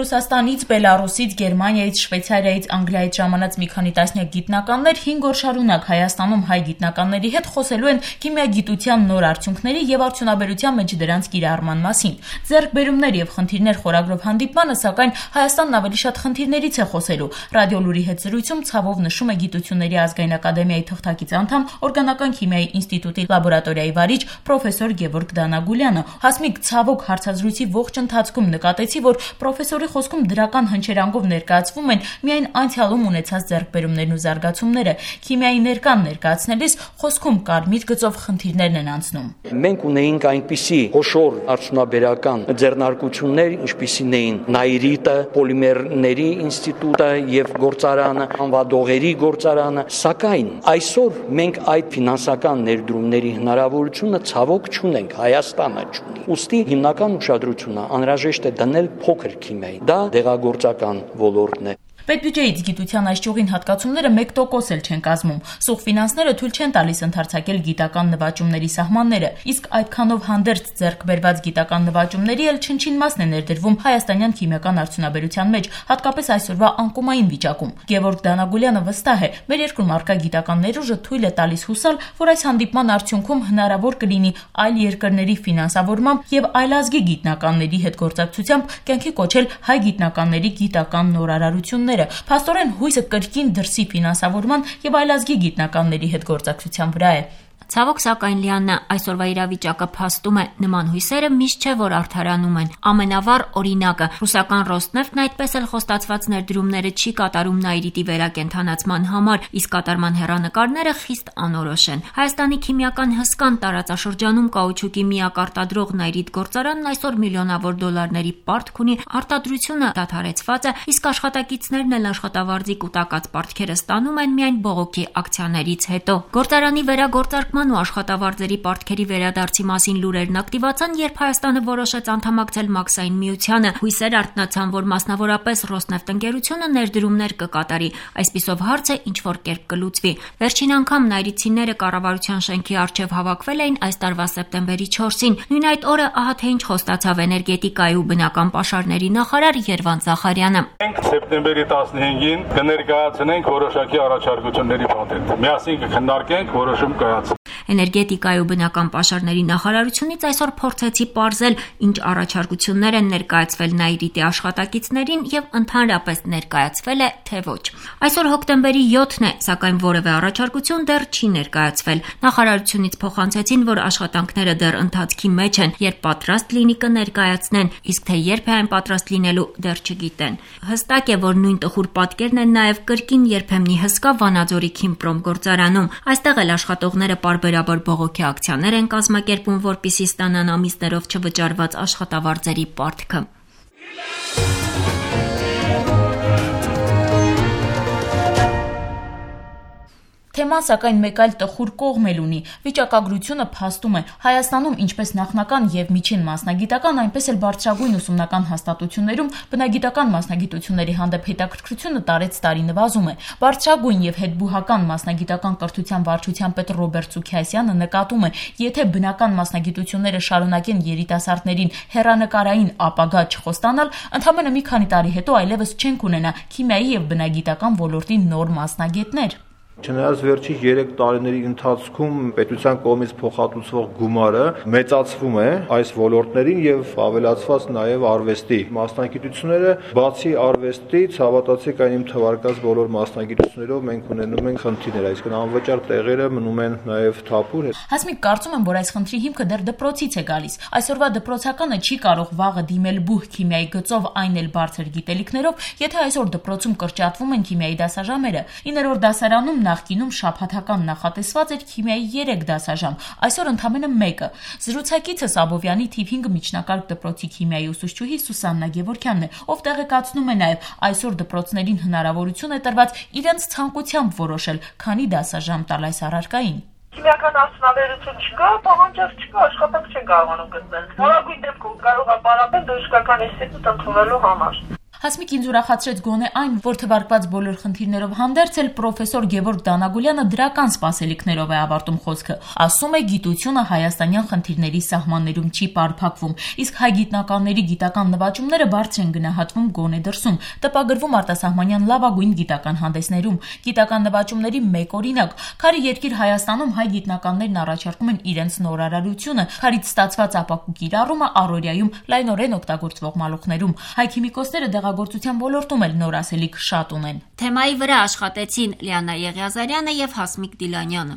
Ռուսաստանից, Բելարուսից, Գերմանիայից, Շվեյցարիայից, Անգլիայից ժամանած մի քանի տասնյակ գիտնականներ 5 օր շարունակ Հայաստանում հայ գիտնականների հետ խոսելու են քիմիագիտության նոր արդյունքների եւ արդյունաբերության մեջ դրանց կիրառման մասին։ Ձեռքբերումներ եւ խնդիրներ խորագրով հանդիպմանը, սակայն Հայաստանն ավելի շատ խնդիրներից է խոսելու։ Ռադիոլուրի հետ զրույցում ցավով նշում է Գիտությունների ազգային ակադեմիայի թղթակից անդամ, օրգանական քիմիայի ինստիտուտի լաբորատորիայի վարիչ պրոֆեսոր Գևորգ Դանագուլյանը։ Հասմիկ, ցավոք հարցազրույցի ողջ ընթացքում նկատեցի, որ պրոֆեսորի խոսքում դրական հնչերանգով ներկայացվում են միայն անցյալում ունեցած ձեռքբերումներն ու զարգացումները։ Քիմիայի ներկան ներկայացնելիս խոսքում կարմիր գծով խնդիրներն են անցնում։ Մենք ունեինք այնպիսի խոշոր արդյունաբերական ձեռնարկություններ, ինչպիսին էին Նայրիտը, Պոլիմերների ինստիտուտը եւ գործարանը, անվադողերի գործարանը, սակայն այսօր մենք այդ ֆինանսական ներդրումների հնարավորությունը ցավոք չունենք, Հայաստանը չունի։ Ուստի հիմնական ուշադրությունը անհրաժեշտ է դնել փոքր քիմիային։ Դա դեղագործական ոլորտն է։ Պետբյուջեից գիտության այս ճյուղին հատկացումները 1% էլ չեն կազմում։ Սուղ ֆինանսները թույլ չեն տալիս ընդարձակել գիտական նվաճումների սահմանները, իսկ այդքանով հանդերձ ձեռք բերված գիտական նվաճումների էլ չնչին մասն է ներդրվում հայաստանյան քիմիական արդյունաբերության մեջ, հատկապես այսօրվա անկումային վիճակում։ Գևորգ Դանագուլյանը վստահ է, մեր երկրում առկա գիտական ներուժը թույլ է տալիս հուսալ, որ այս հանդիպման արդյունքում հնարավոր կլինի այլ երկրների ֆինանսավորմամբ եւ այլազգի գիտնականների հետ գործակցությամբ կյանքի կոչել հայ գիտնականների գիտական նորարարությունները։ Փաստորեն հույսը կրկին դրսի ֆինանսավորման եւ այլազգի գիտնականների հետ գործակցության վրա է։ Ցավոք, սակայն Լիաննա, այսօրվա իրավիճակը փաստում է, նման հույսերը միշտ չէ, որ արդարանում են։ Ամենավառ օրինակը ռուսական Ռոսնեֆտն այդպես էլ խոստացված ներդրումները չի կատարում Նայրիտի վերակենդանացման համար, իսկ կատարման հեռանկարները խիստ անորոշ են։ Հայաստանի քիմիական հսկան տարածաշրջանում կաուչուկի միակ արտադրող Նայրիտ գործարանն այսօր միլիոնավոր դոլարների պարտք ունի, արտադրությունը դադարեցված է, իսկ աշխատակիցներն էլ աշխատավարձի կուտակած պարտքերը ստանում են միայն բողոքի ակցիաներից հետո։ Գործարանի վերագործարկման ու աշխատավարձերի պարտքերի վերադարձի մասին լուրերն ակտիվացան, երբ Հայաստանը որոշեց անդամակցել Մաքսային միությանը։ Հույսեր արթնացան, որ մասնավորապես Ռոսնեֆտ ընկերությունը ներդրումներ կկատարի, այսպիսով հարցը ինչ-որ կերպ կլուծվի։ Վերջին անգամ նայրիցիները կառավարության շենքի առջև հավաքվել էին այս տարվա սեպտեմբերի 4-ին։ Նույն այդ օրը ահա թե ինչ խոստացավ էներգետիկայի ու բնական պաշարների նախարար Երվանդ Զախարյանը։ Մենք սեպտեմբերի 15-ին կներկայացնենք որոշակի առաջարկությունների պատերտ։ Միասին կքննարկենք, որոշում կայացնենք։ Էներգետիկայի ու բնական պաշարների նախարարությունից այսօր փորձեցի պարզել, ինչ առաջարկություններ են ներկայացվել Նայրիտի աշխատակիցներին եւ ընդհանրապես ներկայացվել է, թե ոչ։ Այսօր հոկտեմբերի 7-ն է, սակայն որևէ առաջարկություն դեռ չի ներկայացվել։ Նախարարությունից փոխանցեցին, որ աշխատանքները դեռ ընթացքի մեջ են, երբ պատրաստ լինի կներկայացնեն, իսկ թե երբ է այն պատրաստ լինելու դեռ չգիտեն։ Հստակ է, որ նույն տխուր պատկերն են նաեւ կրկին երբեմնի հսկա Վանաձորի Քիմպրոմ գործարանում։ Այստեղ էլ աշխատողները պարբերաբար բողոքի ակցիաներ են կազմակերպում, որպեսզի ստանան ամիսներով չվճարված աշխատավարձերի պարտքը։ Թեման սակայն մեկ այլ տխուր կողմ էլ ունի։ Վիճակագրությունը փաստում է, Հայաստանում ինչպես նախնական եւ միջին մասնագիտական, այնպես էլ բարձրագույն ուսումնական հաստատություններում բնագիտական մասնագիտությունների հանդեպ հետաքրքրությունը տարեցտարի նվազում է։ Բարձրագույն եւ հետբուհական մասնագիտական կրթության վարչության պետ Ռոբերտ Սուքիասյանը նկատում է, եթե բնական մասնագիտությունները շարունակեն երիտասարդներին հեռանկարային ապագա չխոստանալ, ընդամենը մի քանի տարի հետո այլևս չենք ունենա քիմիայի եւ բնագիտական ոլորտի նոր մասնագետներ։ Չնայած վերջի 3 տարիների ընթացքում պետության կողմից փոխհատուցվող գումարը մեծացվում է այս ոլորտներին եւ ավելացված նաեւ արվեստի մասնագիտությունները, բացի արվեստից, հավատացեք այն իմ թվարկած բոլոր մասնագիտություններով մենք ունենում ենք խնդիրներ, այսինքն անվճար տեղերը մնում են նաեւ թափուր։ Հասմիկ, կարծում եմ, որ այս խնդրի հիմքը դեռ դպրոցից է գալիս։ Այսօրվա դպրոցականը չի կարող վաղը դիմել բուհ քիմիայի գծով, այն էլ բարձր գիտելիքներով, եթե այսօր դպրոցում կրճատվում են քիմիայի դասաժամերը։ 9-րդ դասարանում նախկինում շաբաթական նախատեսված էր քիմիայի 3 դասաժամ, այսօր ընդամենը 1-ը։ Զրուցակիցս Աբովյանի թիվ 5 միջնակարգ դպրոցի քիմիայի ուսուցչուհի Սուսաննա Գևորգյանն է, ով տեղեկացնում է նաև այսօր դպրոցներին հնարավորություն է տրված իրենց ցանկությամբ որոշել, քանի դասաժամ տալ այս առարկային։ Քիմիական արդյունաբերություն չկա, պահանջարկ չկա, աշխատանք չեն կարողանում գտնել։ Որակույն դեպքում կարող է պարապել բժշկական ինստիտուտ ընդունելու համար։ Հասմիկ ինձ ուրախացրեց գոնե այն, որ թվարկված բոլոր խնդիրներով հանդերձ էլ պրոֆեսոր Գևորգ Դանագուլյանը դրական սպասելիքներով է ավարտում խոսքը։ Ասում է, գիտությունը հայաստանյան խնդիրների սահմաններում չի պարփակվում, իսկ հայ գիտնականների գիտական նվաճումները բարձր են գնահատվում գոնե դրսում, տպագրվում արտասահմանյան լավագույն գիտական հանդեսներում։ Գիտական նվաճումների մեկ օրինակ՝ քարի երկիր Հայաստանում հայ գիտնականներն առաջարկում են իրենց նորարարությունը, քարից ստացված ապակու կիրառումը առօրյայում լայնորեն օգտագործվող մալուխներում։ Հայ քիմիկոսները դեղագործության ոլորտում էլ նոր ասելիք շատ ունեն։ Թեմայի վրա աշխատեցին Լիանա Եղիազարյանը եւ Հասմիկ Դիլանյանը։